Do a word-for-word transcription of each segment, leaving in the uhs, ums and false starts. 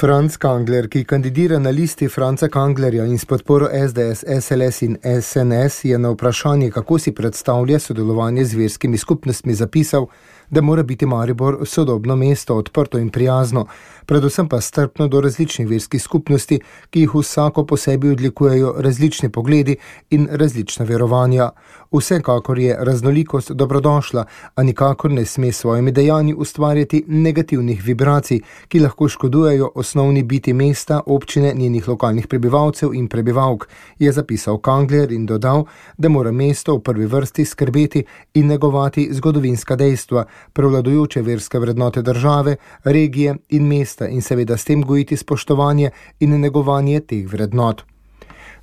Franc Kangler, ki kandidira na listi Franca Kanglerja in s podporo es de es, es el es in es en es, je na vprašanje, kako si predstavlja sodelovanje z verskimi skupnostmi, zapisal, da mora biti Maribor sodobno mesto, odprto in prijazno, predvsem pa strpno do različnih verskih skupnosti, ki jih vsako po sebi odlikujejo različni pogledi in različna verovanja. Vsekakor je raznolikost dobrodošla, a nikakor ne sme s svojimi dejanji ustvarjati negativnih vibracij, ki lahko škodujejo osnovni biti mesta, občine, njenih lokalnih prebivalcev in prebivalk, je zapisal Kangler in dodal, da mora mesto v prvi vrsti skrbeti in negovati zgodovinska dejstva, prevladujoče verske vrednote države, regije in mesta in seveda s tem gojiti spoštovanje in negovanje teh vrednot.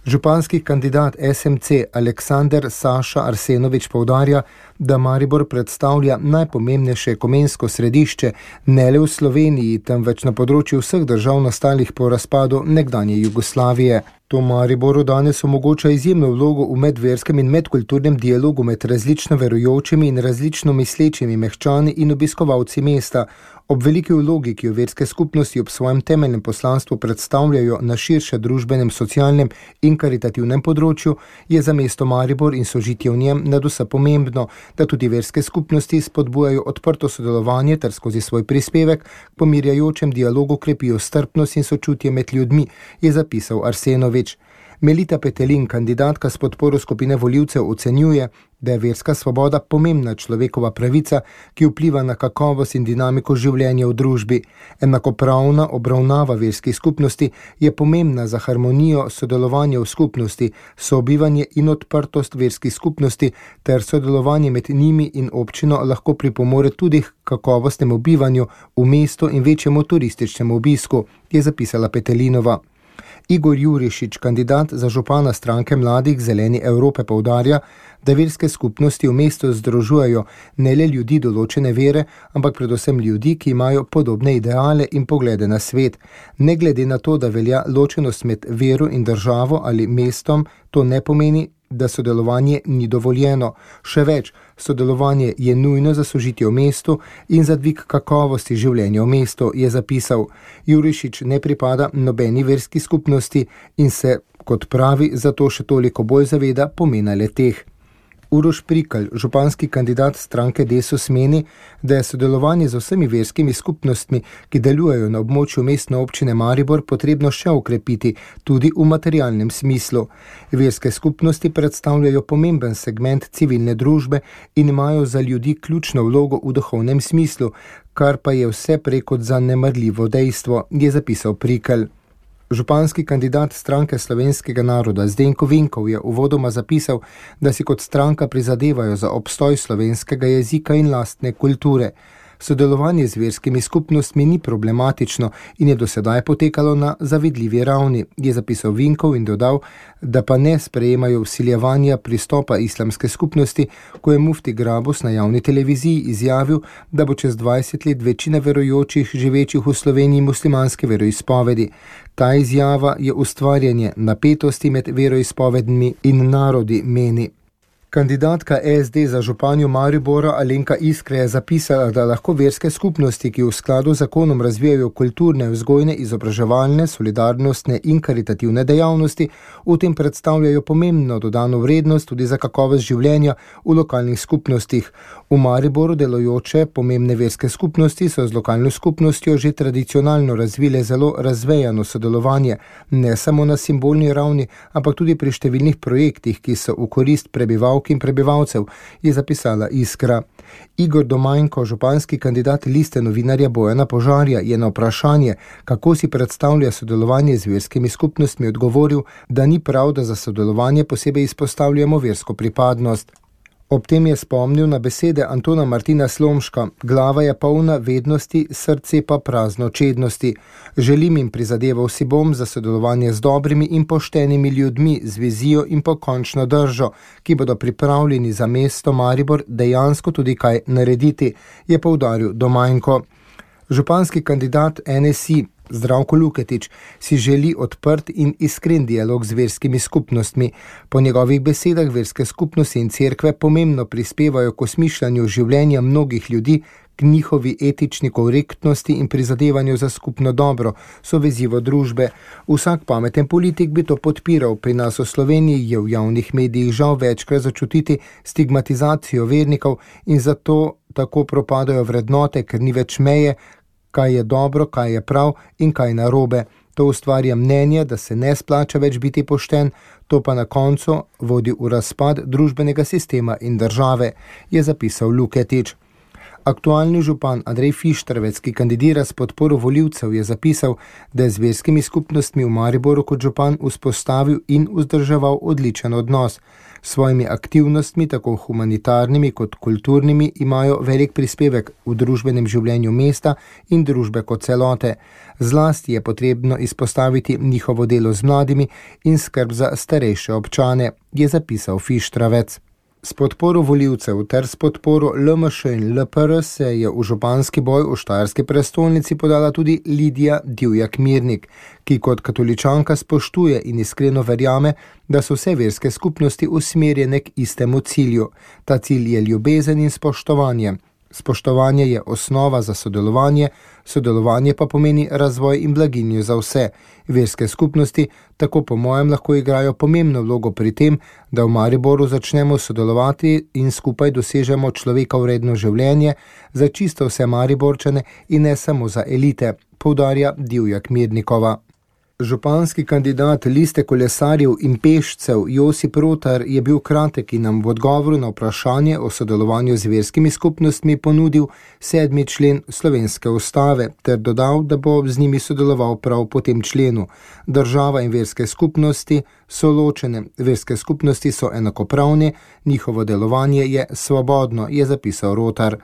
Županski kandidat es em ce Aleksander Saša Arsenovič poudarja, da Maribor predstavlja najpomembnejše ekumensko središče ne le v Sloveniji, temveč na področju vseh držav nastalih po razpadu nekdanje Jugoslavije. To Mariboru danes omogoča izjemno vlogo v medverskem in medkulturnem dialogu med različno verujočimi in različno mislečimi mehčani in obiskovalci mesta. Ob veliki vlogi, ki jo verske skupnosti ob svojem temeljnem poslanstvu predstavljajo na širše družbenem, socialnem in karitativnem področju, je za mesto Maribor in sožitje v njem nadvse pomembno, da tudi verske skupnosti spodbujajo odprto sodelovanje ter skozi svoj prispevek k pomirjajočem dialogu krepijo strpnost in sočutje med ljudmi, je zapisal Arsenovič. Melita Petelin, kandidatka s podporo skupine volivcev, ocenjuje, da je verska svoboda pomembna človekova pravica, ki vpliva na kakovost in dinamiko življenja v družbi. Enakopravna obravnava verskih skupnosti je pomembna za harmonijo sodelovanja v skupnosti, sobivanje in odprtost verskih skupnosti ter sodelovanje med njimi in občino lahko pripomore tudi k kakovostnemu bivanju v mestu in večjemu turističnemu obisku, je zapisala Petelinova. Igor Jurišič, kandidat za župana stranke Mladih Zeleni Evrope, poudarja, da verske skupnosti v mestu združujejo ne le ljudi določene vere, ampak predvsem ljudi, ki imajo podobne ideale in poglede na svet. Ne glede na to, da velja ločenost med vero in državo ali mestom, to ne pomeni, da sodelovanje ni dovoljeno. Še več, sodelovanje je nujno za sožitje v mestu in za dvig kakovosti življenja v mestu, je zapisal. Jurišič ne pripada nobeni verski skupnosti in se, kot pravi, zato še toliko bolj zaveda pomena le-teh. Uroš Prikl, županski kandidat stranke Desus, meni, da je sodelovanje z vsemi verskimi skupnostmi, ki delujejo na območju mestne občine Maribor, potrebno še okrepiti, tudi v materialnem smislu. Verske skupnosti predstavljajo pomemben segment civilne družbe in imajo za ljudi ključno vlogo v duhovnem smislu, kar pa je vse prej kot zanemarljivo dejstvo, je zapisal Prikl. Županski kandidat stranke Slovenskega naroda Zdenko Vinkov je uvodoma zapisal, da si kot stranka prizadevajo za obstoj slovenskega jezika in lastne kulture. Sodelovanje z verskimi skupnostmi ni problematično in je do sedaj potekalo na zavidljivi ravni, je zapisal Vinkov in dodal, da pa ne sprejemajo vsiljevanja pristopa islamske skupnosti, ko je mufti Grabus na javni televiziji izjavil, da bo čez dvajset let večina verujočih živečih v Sloveniji muslimanske veroizpovedi. Ta izjava je ustvarjanje napetosti med veroizpovedmi in narodi, meni. Kandidatka es de za županjo Maribora Alenka Iskra je zapisala, da lahko verske skupnosti, ki v skladu z zakonom razvijajo kulturne, vzgojne, izobraževalne, solidarnostne in karitativne dejavnosti, v tem predstavljajo pomembno dodano vrednost tudi za kakovost življenja v lokalnih skupnostih. V Mariboru delujoče pomembne verske skupnosti so z lokalno skupnostjo že tradicionalno razvile zelo razvejano sodelovanje, ne samo na simbolni ravni, ampak tudi pri številnih projektih, ki so v korist prebivalcev in prebivalcev, je zapisala Iskra. Igor Domajnko, županski kandidat liste novinarja Bojana Požarja, je na vprašanje, kako si predstavlja sodelovanje z verskimi skupnostmi, odgovoril, da ni prav, da za sodelovanje posebej izpostavljamo versko pripadnost. Ob tem je spomnil na besede Antona Martina Slomška: glava je polna vednosti, srce pa prazno čednosti. Želim in prizadeval si bom za sodelovanje z dobrimi in poštenimi ljudmi, z vizijo in pokončno držo, ki bodo pripravljeni za mesto Maribor dejansko tudi kaj narediti, je poudaril Domajnko. Županski kandidat en es i Zdravko Luketič si želi odprt in iskren dialog z verskimi skupnostmi. Po njegovih besedah verske skupnosti in cerkve pomembno prispevajo k osmišljanju življenja mnogih ljudi, k njihovi etični korektnosti in prizadevanju za skupno dobro, so vezivo družbe. Vsak pameten politik bi to podpiral. Pri nas v Sloveniji je v javnih medijih žal večkrat začutiti stigmatizacijo vernikov in zato tako propadajo vrednote, ker ni več meje, kaj je dobro, kaj je prav in kaj narobe. To ustvarja mnenje, da se ne splača več biti pošten, to pa na koncu vodi v razpad družbenega sistema in države, je zapisal Luketič. Aktualni župan Andrej Fištravec, ki kandidira s podporo volivcev, je zapisal, da je z verskimi skupnostmi v Mariboru kot župan vzpostavil in vzdrževal odličen odnos. S svojimi aktivnostmi, tako humanitarnimi kot kulturnimi, imajo velik prispevek v družbenem življenju mesta in družbe kot celote. Zlasti je potrebno izpostaviti njihovo delo z mladimi in skrb za starejše občane, je zapisal Fištravec. S podporo volivcev ter s podporo L M Š in L P R se je v županski boj v štajerski prestolnici podala tudi Lidija Divjak-Mirnik, ki kot katoličanka spoštuje in iskreno verjame, da so vse verske skupnosti usmerjene k istemu cilju. Ta cilj je ljubezen in spoštovanje. Spoštovanje je osnova za sodelovanje, sodelovanje pa pomeni razvoj in blaginjo za vse. Verske skupnosti tako po mojem lahko igrajo pomembno vlogo pri tem, da v Mariboru začnemo sodelovati in skupaj dosežemo človeka vredno življenje za čisto vse Mariborčane in ne samo za elite, poudarja Divjak-Mirnikova. Županski kandidat liste kolesarjev in pešcev Josip Rotar je bil kratek in nam v odgovoru na vprašanje o sodelovanju z verskimi skupnostmi ponudil sedmi člen slovenske ustave ter dodal, da bo z njimi sodeloval prav po tem členu. Država in verske skupnosti so ločene, verske skupnosti so enakopravne, njihovo delovanje je svobodno, je zapisal Rotar.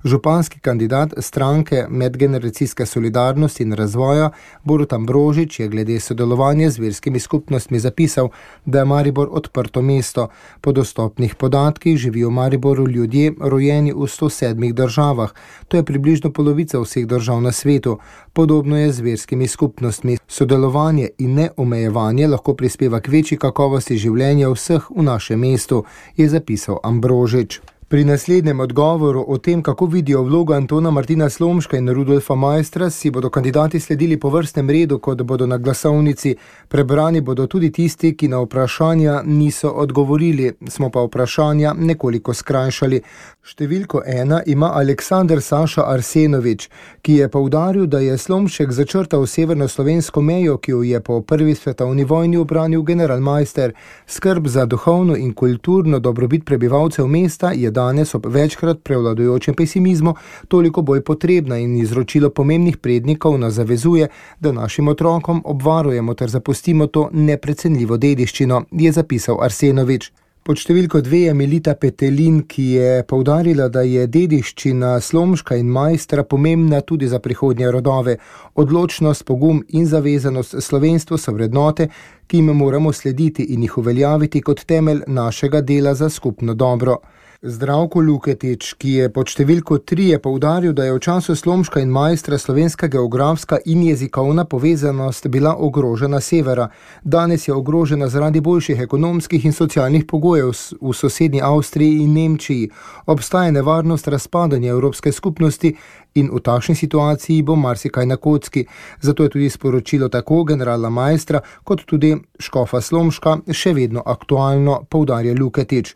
Županski kandidat stranke Medgeneracijske solidarnosti in razvoja Borut Ambrožič je glede sodelovanja z verskimi skupnostmi zapisal, da je Maribor odprto mesto. Po dostopnih podatkih živijo v Mariboru ljudje rojeni v sto sedmih državah. To je približno polovica vseh držav na svetu. Podobno je z verskimi skupnostmi. Sodelovanje in neomejevanje lahko prispeva k večji kakovosti življenja vseh v našem mestu, je zapisal Ambrožič. Pri naslednjem odgovoru o tem, kako vidijo vlogo Antona Martina Slomška in Rudolfa Maistra, si bodo kandidati sledili po vrstnem redu, kot bodo na glasovnici. Prebrani bodo tudi tisti, ki na vprašanja niso odgovorili, smo pa vprašanja nekoliko skrajšali. Številko ena ima Aleksander Saša Arsenovič, ki je poudaril, da je Slomšek začrtal severno-slovensko mejo, ki jo je po prvi svetovni vojni ubranil generalmajster. Skrb za duhovno in kulturno dobrobit prebivalcev mesta je danes ob večkrat prevladujočem pesimizmu toliko bolj potrebna in izročilo pomembnih prednikov nas zavezuje, da našim otrokom obvarujemo ter zapustimo to neprecenljivo dediščino, je zapisal Arsenovič. Pod številko dve je Melita Petelin, ki je poudarila, da je dediščina Slomška in Maistra pomembna tudi za prihodnje rodove. Odločnost, pogum in zavezanost slovenstvu so vrednote, ki jim moramo slediti in jih uveljaviti kot temelj našega dela za skupno dobro. Zdravko Luketič, ki je pod številko tri je poudaril, da je v času Slomška in Maistra slovenska geografska in jezikovna povezanost bila ogrožena severa. Danes je ogrožena zaradi boljših ekonomskih in socialnih pogojev v sosednji Avstriji in Nemčiji. Obstaja nevarnost razpadanja evropske skupnosti in v takšni situaciji bo marsikaj na kocki. Zato je tudi sporočilo tako generala Maistra kot tudi škofa Slomška še vedno aktualno, poudarja Luketič.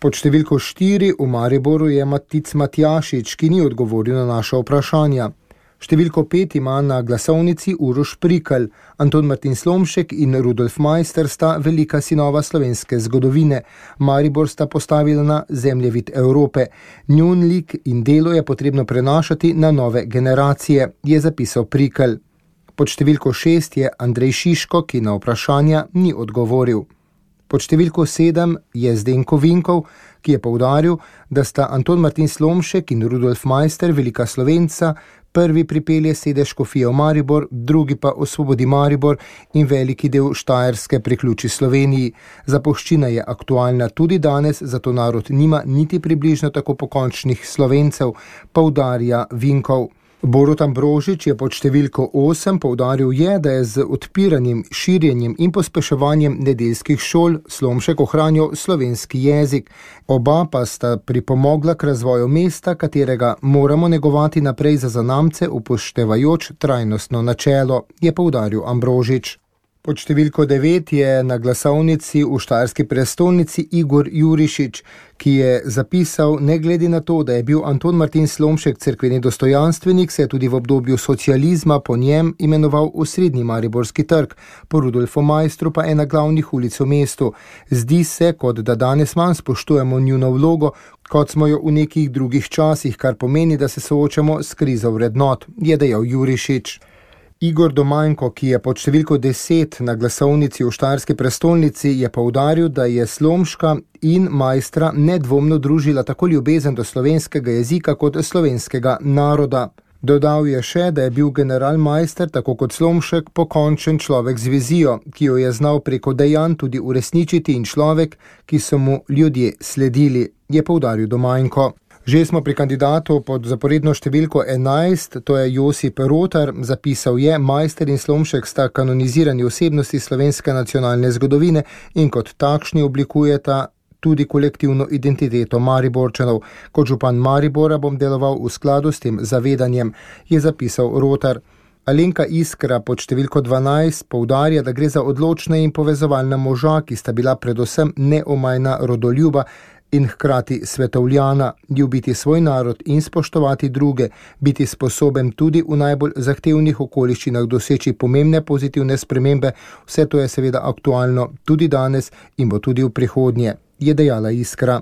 Pod številko štiri v Mariboru je Matic Matjašič, ki ni odgovoril na naša vprašanja. Številko pet ima na glasovnici Uroš Prikl. Anton Martin Slomšek in Rudolf Maister sta velika sinova slovenske zgodovine. Maribor sta postavila na zemljevid Evrope. Njun lik in delo je potrebno prenašati na nove generacije, je zapisal Prikl. Pod številko šest je Andrej Šiško, ki na vprašanja ni odgovoril. Pod številko sedem je Zdenko Vinkov, ki je poudaril, da sta Anton Martin Slomšek in Rudolf Maister velika Slovenca, prvi pripelje sedež škofije v Maribor, drugi pa osvobodi Maribor in veliki del Štajerske priključi Sloveniji. Zapuščina je aktualna tudi danes, zato narod nima niti približno tako pokončnih Slovencev, poudarja Vinkov. Borut Ambrožič je pod številko osem poudaril je, da je z odpiranjem, širjenjem in pospeševanjem nedeljskih šol Slomšek ohranil slovenski jezik. Oba pa sta pripomogla k razvoju mesta, katerega moramo negovati naprej za zanamce, upoštevajoč trajnostno načelo, je poudaril Ambrožič. Pod številko devet je na glasovnici v štajerski prestolnici Igor Jurišič, ki je zapisal, ne glede na to, da je bil Anton Martin Slomšek cerkveni dostojanstvenik, se je tudi v obdobju socializma po njem imenoval osrednji Mariborski trg, po Rudolfu Majstru pa ena glavnih ulic v mestu. Zdi se, kot da danes manj spoštujemo njuno vlogo, kot smo jo v nekih drugih časih, kar pomeni, da se soočamo s krizo vrednot, je dejal Jurišič. Igor Domanjko, ki je pod številko deset na glasovnici v štajerski prestolnici, je poudaril, da je Slomška in Majstra nedvomno družila tako ljubezen do slovenskega jezika kot slovenskega naroda. Dodal je še, da je bil general Majster, tako kot Slomšek, pokončen človek z vizijo, ki jo je znal preko dejanj tudi uresničiti in človek, ki so mu ljudje sledili, je poudaril Domanjko. Že smo pri kandidatu pod zaporedno številko enajst, to je Josip Rotar, zapisal je, Majster in Slomšek sta kanonizirani osebnosti slovenske nacionalne zgodovine in kot takšni oblikujeta tudi kolektivno identiteto Mariborčanov. Kot župan Maribora bom deloval v skladu s tem zavedanjem, je zapisal Rotar. Alenka Iskra pod številko dvanajst poudarja, da gre za odločna in povezovalna moža, ki sta bila predvsem neomajna rodoljuba in hkrati svetovljana, ljubiti svoj narod in spoštovati druge, biti sposoben tudi v najbolj zahtevnih okoliščinah doseči pomembne pozitivne spremembe, vse to je seveda aktualno tudi danes in bo tudi v prihodnje, je dejala Iskra.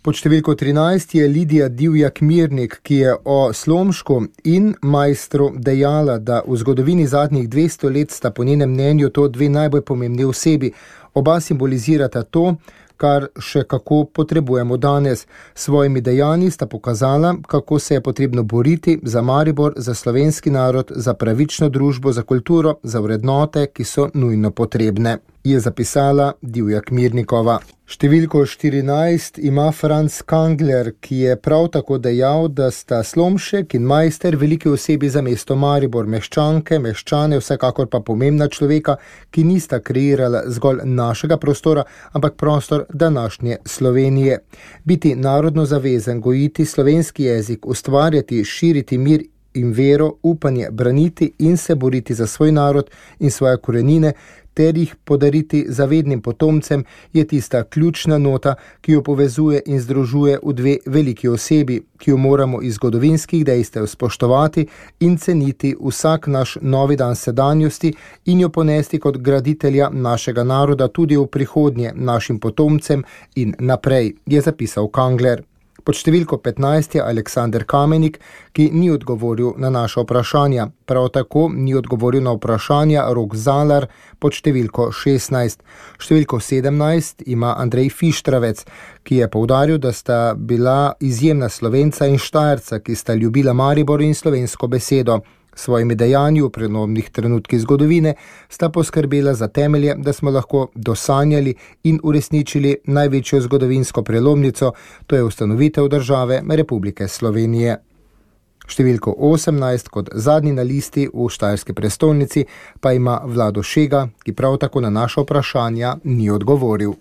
Pod številko trinajst je Lidija Divjak-Mirnik, ki je o Slomšku in Majstru dejala, da v zgodovini zadnjih dvesto let sta po njenem mnenju to dve najbolj pomembni osebi. Oba simbolizirata to, kar še kako potrebujemo danes. Svojimi dejanji sta pokazala, kako se je potrebno boriti za Maribor, za slovenski narod, za pravično družbo, za kulturo, za vrednote, ki so nujno potrebne, je zapisala Divjak-Mirnikova. Številko štirinajst ima Franc Kangler, ki je prav tako dejal, da sta Slomšek in Majster veliki osebi za mesto Maribor, meščanke, meščane, vsekakor pa pomembna človeka, ki nista kreirala zgolj našega prostora, ampak prostor današnje Slovenije. Biti narodno zavezen, gojiti slovenski jezik, ustvarjati, širiti mir in vero, upanje, braniti in se boriti za svoj narod in svoje korenine, ter jih podariti zavednim potomcem, je tista ključna nota, ki jo povezuje in združuje v dve veliki osebi, ki jo moramo iz zgodovinskih dejstev spoštovati in ceniti vsak naš novi dan sedanjosti in jo ponesti kot graditelja našega naroda tudi v prihodnje našim potomcem in naprej, je zapisal Kangler. Pod številko petnajst je Aleksander Kamenik, ki ni odgovoril na naša vprašanja. Prav tako ni odgovoril na vprašanja Rok Zalar pod številko šestnajst. Številko sedemnajst ima Andrej Fištravec, ki je poudaril, da sta bila izjemna Slovenca in Štajerca, ki sta ljubila Maribor in slovensko besedo. Svojimi dejanji v prenovnih trenutkih zgodovine sta poskrbela za temelje, da smo lahko dosanjali in uresničili največjo zgodovinsko prelomnico, to je ustanovitev države Republike Slovenije. Številko osemnajst kot zadnji na listi v štajerski prestolnici pa ima Vlado Šega, ki prav tako na naša vprašanja ni odgovoril.